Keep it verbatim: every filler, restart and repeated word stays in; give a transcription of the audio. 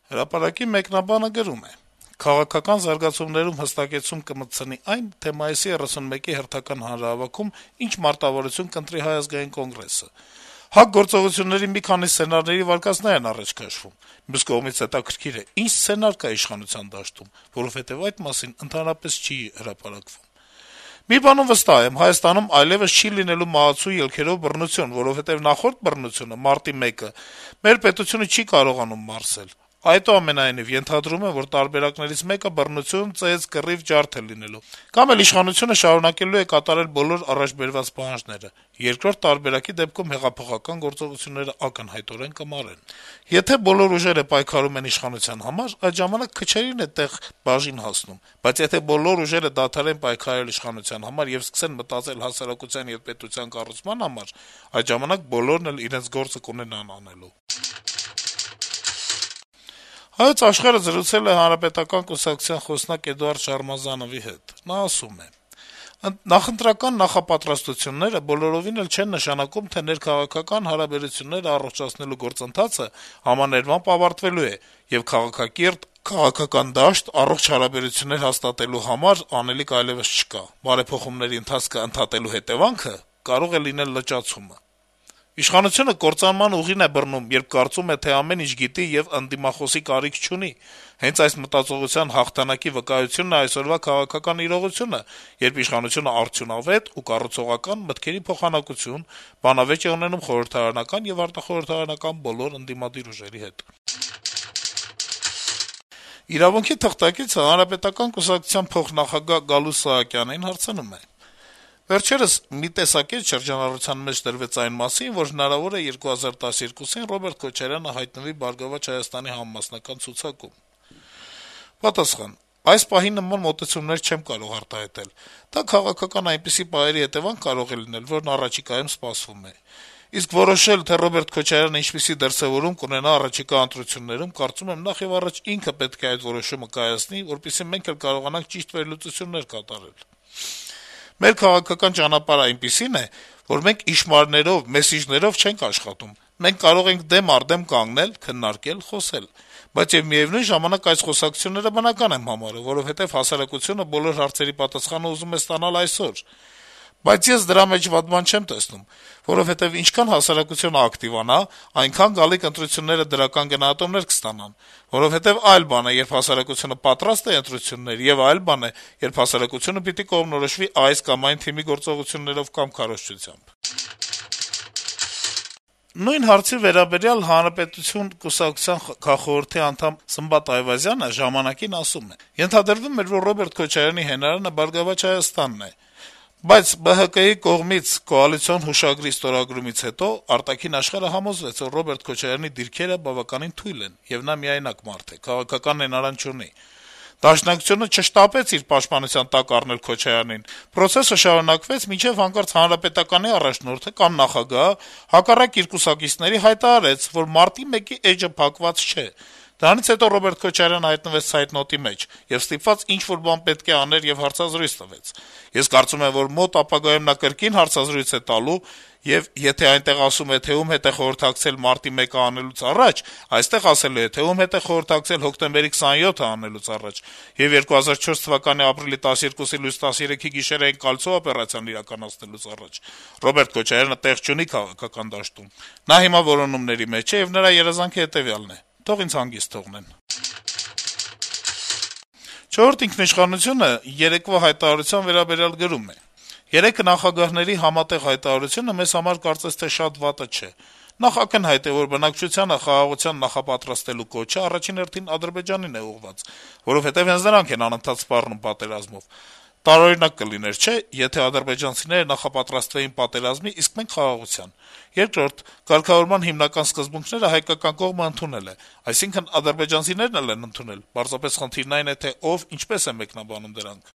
Հրապարակի մեկնաբանը գրում է. - «Քաղաքական զարգացումներում հստակեցում կմտցնի այն, թե մայիսի երեսունմեկի հերթական հանրահավաքում ինչ մարտավարություն կընտրի Հայ ազգային կոնգրեսը: ՀԱԿ գործողությունների մի քանի սցենարների վարկածներ են առաջ քաշվում: Մյուս կողմից հետաքրքիր է` ինչ սցենար կա իշխանության դաշտում, որովհետեւ այդ մասին ընդհանրապես չի հրապարակվում: Մի բանում վստահ եմ. Հայաստանում այլեւս չի լինելու մահացու ելքերով բռնություն, որովհետեւ նախորդ բռնությունը` մարտի մեկը, մեր պետությունը չի կարողանում մարսել: Այդուամենայնիվ, ենթադրում եմ, որ տարբերակներից մեկը բռնություն, ծեծ, կռիվ, ջարդ է լինելու: Կամ էլ իշխանությունը շարունակելու է կատարել բոլոր առաջ բերված պահանջները: Երկրորդ տարբերակի դեպքում հեղափոխական գործողությունները ակնհայտորեն կմարեն: Եթե բոլոր ուժերը պայքարում են իշխանության համար, այդ ժամանակ քչերին է տեղ բաժին հասնում, բայց եթե բոլոր ուժերը դադարեն պայքարել իշխանության համար եւ սկսեն մտածել հասարակության եւ պետության կառուցման համար, այդ ժամանակ բոլորն էլ իրենց գործը կունենան անելու»: «Հայոց Աշխարհ»-ը զրուցել է Հանրապետական կուսակցության խոսնակ Էդուարդ Շարմազանովի հետ: Նա ասում է. - «Նախընտրական նախապատրաստությունները բոլորովին էլ չեն նշանակում, թե ներքաղաքական հարաբերությունները առողջացնելու գործընթացը համաներմամբ ավարտվելու է, եւ քաղաքակիրթ, քաղաքական դաշտ, առողջ հարաբերություններ հաստատելու համար անելիք այլեւս չկա: Բարեփոխումների ընթացքը ընդհատելու հետեւանքը կարող է լինել լճացումը: Իշխանությունը կործանման ուղին է բռնում, երբ կարծում է, թե ամեն ինչ գիտի եւ ընդդիմախոսի կարիք չունի: Հենց այս մտածողության հաղթանակի վկայությունն է այսօրվա քաղաքական իրողությունը, երբ իշխանությունը արդյունավետ ու կառուցողական մտքերի փոխանակություն, բանավեճ է ունենում խորհրդարանական եւ արտախորհրդարանական բոլոր ընդդիմադիր ուժերի հետ»: «Իրավունք»-ի թղթակիցը Հանրապետական կուսակցության փոխնախագահ Գալուստ Սահակյանին հարցնում է. - «Վերջերս մի տեսակետ շրջանառության մեջ դրվեց այն մասին, որ հնարավոր է երկու հազար տասներկուսին Ռոբերտ Քոչարյանը հայտնվի «Բարգավաճ Հայաստան»-ի համամասնական ցուցակում»: Պատասխան. - «Այս պահին նման մոտեցումներ չեմ կարող արտահայտել: Դա քաղաքական այնպիսի պահերի հետեւանք կարող է լինել, որն առաջիկայում սպասվում է: Իսկ որոշել, թե Ռոբերտ Քոչարյանը ինչպիսի դրսեւորում կունենա առաջիկա ընտրություններում, կարծում եմ, նախեւառաջ ինքը պետք է այդ որոշումը կայացնի, որպեսզի մենք էլ կարողանանք ճիշտ վերլուծություններ կատարել: Մեր քաղաքական ճանապարհն այնպիսին է, որ մենք իշխաններով, մեսիջներով չենք աշխատում: Մենք կարող ենք դեմ առ դեմ կանգնել, քննարկել, խոսել: Բայց եւ միեւնույն ժամանակ այս խոսակցությունները բնական եմ համարում, որովհետեւ հասարակությունը բոլոր հարցերի պատասխանը ուզում է ստանալ այսօր: Բայց ես դրա մեջ վատ բան չեմ տեսնում, որովհետեւ ինչքան հասարակությունը ակտիվանա, այնքան գալիք ընտրությունները դրական գնահատոմներ կստանան: Որովհետեւ այլ բան է, երբ հասարակությունը պատրաստ է ընտրությունների, եւ այլ բան է, երբ հասարակությունը պիտի կողմնորոշվի այս կամ այն թիմի գործողություններով կամ քարոզչությամբ»: Նույն հարցի վերաբերյալ «Հանրապետություն» կուսակցության քաղխորհրդի անդամ Սմբատ Այվազյանը «Ժամանակ»-ին ասում է. - «Ենթադրվում էր, որ Ռոբերտ Քոչարյանի հենարանը «Բարգավաճ Հայաստան»-ն է, բայց Բը Հը Կը-ի կողմից կոալիցիոն հուշագրի ստորագրումից հետո արտաքին աշխարհը համոզվեց, որ Ռոբերտ Քոչարյանի դիրքերը բավականին թույլ են, եւ նա միայնակ մարդ է, քաղաքական հենարան չունի: Դաշնակցությունը չշտապեց իր պաշտպանության տակ առնել Քոչարյանին: Պրոցեսը շարունակվեց, մինչեւ հանկարծ Հանրապետականի առաջնորդը կամ նախագահը հակառակ իր կուսակիցների հայտարարեց, որ Մարտի մեկի էջը փակված չէ: Դրանից հետո Ռոբերտ Քոչարյանը հայտնվեց ցայտնոտի մեջ եւ ստիպված ինչ-որ բան պետք է աներ եւ հարցազրույց տվեց: Ես կարծում եմ, որ մոտ ապագայում նա կրկին հարցազրույց է տալու, եւ եթե այնտեղ ասում է, թե ում հետ է խորհրդակցել Մարտի մեկը անելուց առաջ, այստեղ ասելու է, թե ում հետ է խորհրդակցել հոկտեմբերի քսաներկուսը անելուց առաջ, եւ երկու հազար չորս թվականի ապրիլի տասներկուսի լույս տասներեքի գիշերային «Կալցո» օպերացիան իրականացնելուց առաջ: Ռոբերտ Քոչարյանը տեղ չունի քաղաքական դաշտում: Նա հիմա որոնումների մեջ է, եւ նրա երազանքը հետեւյալն է. թող ինձ հանգիստ թողնեն»: «Չորրորդ ինքնիշխանություն»-ը երեկվա հայտարարության վերաբերյալ գրում է. - «Երեկ նախագահների համատեղ հայտարարությունը մեզ համար կարծես թե շատ վատը չէ: Նախ, ակնհայտ է, որ բնակչությանը խաղաղության նախապատրաստելու կոչը առաջին հերթին Ադրբեջանին է ուղղված, որովհետեւ հենց նրանք են անընդհատ սպառնում պատերազմով: Տարօրինակ կլիներ, չէ՞, եթե ադրբեջանցիները նախապատրաստվեին պատերազմի, իսկ մենք` խաղաղության: Երկրորդ, կարգավորման հիմնական սկզբունքները հայկական կողմը ընդունել է, այսինքն` ադրբեջանցիներն էլ են ընդունել, պարզապես խնդիրն այն է, թե ով, ինչպես է մեկնաբանում դրանք: